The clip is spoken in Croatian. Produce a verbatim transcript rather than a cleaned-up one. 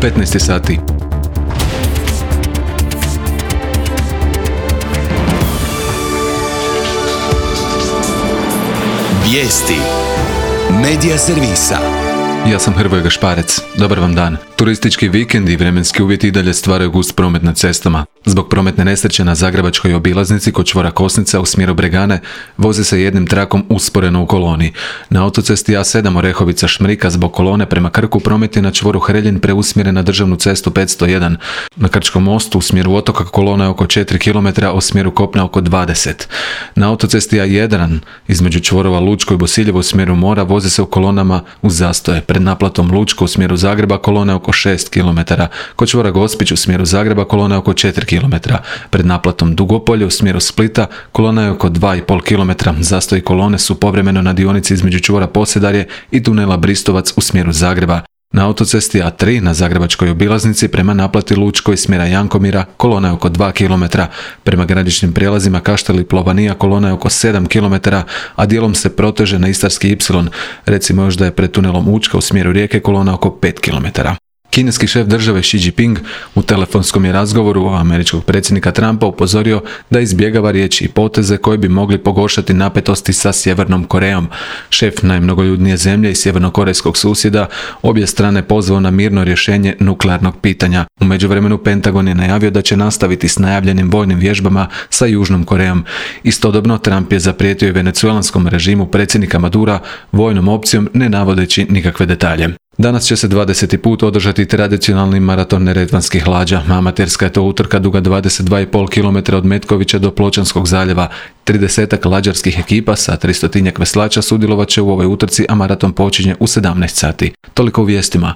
petnaest je sati. Vijesti Medija servisa. Ja sam Hrvoje Gašparec. Dobar vam dan. Turistički vikend i vremenski uvjeti i dalje stvaraju gust promet na cestama. Zbog prometne nesreće na zagrebačkoj obilaznici kod čvora Kosnica u smjeru Bregane vozi se jednim trakom usporeno u koloni. Na autocesti A sedam Orehovica-Šmrika zbog kolone prema Krku promet je na čvoru Hreljin preusmjeren na državnu cestu petsto jedan. Na Krčkom mostu u smjeru otoka kolona je oko četiri kilometra, u smjeru kopna oko dvadeset. Na autocesti A jedan između čvorova Lučko i Bosiljevo u smjeru mora vozi se u kolonama uz zastoje. Pred naplatom Lučko u smjeru Zagreba kolona je oko šest kilometara. Kod čvora Gospić u smjeru Zagreba kolona je oko četiri kilometra. Pred naplatom Dugopolje u smjeru Splita kolona je oko dva i pol kilometra. Zastoji kolone su povremeno na dionici između čvora Posedarje i tunela Bristovac u smjeru Zagreba. Na autocesti A tri na zagrebačkoj obilaznici prema naplati Lučko iz smjera Jankomira kolona je oko dva kilometra. Prema graničnim prijelazima Kaštel i Plovanija kolona je oko sedam kilometara, a dijelom se proteže na Istarski ipsilon. Recimo još da je pred tunelom Učka u smjeru Rijeke kolona oko pet kilometara. Kineski šef države Xi Jinping u telefonskom je razgovoru američkog predsjednika Trumpa upozorio da izbjegava riječi i poteze koji bi mogli pogoršati napetosti sa Sjevernom Korejom. Šef najmnogoljudnije zemlje i sjevernokorejskog susjeda obje strane pozvao na mirno rješenje nuklearnog pitanja. U međuvremenu Pentagon je najavio da će nastaviti s najavljenim vojnim vježbama sa Južnom Korejom. Istodobno Trump je zaprijetio i venecuelanskom režimu predsjednika Madura vojnom opcijom, ne navodeći nikakve detalje. Danas će se dvadeseti put održati tradicionalni maraton neretvanskih lađa. Amaterska je to utrka duga dvadeset dva i pol kilometra od Metkovića do Pločanskog zaljeva. tridesetak lađarskih ekipa sa tristotinjak veslača sudjelovat će u ovoj utrci, a maraton počinje u sedamnaest sati. Toliko u vijestima.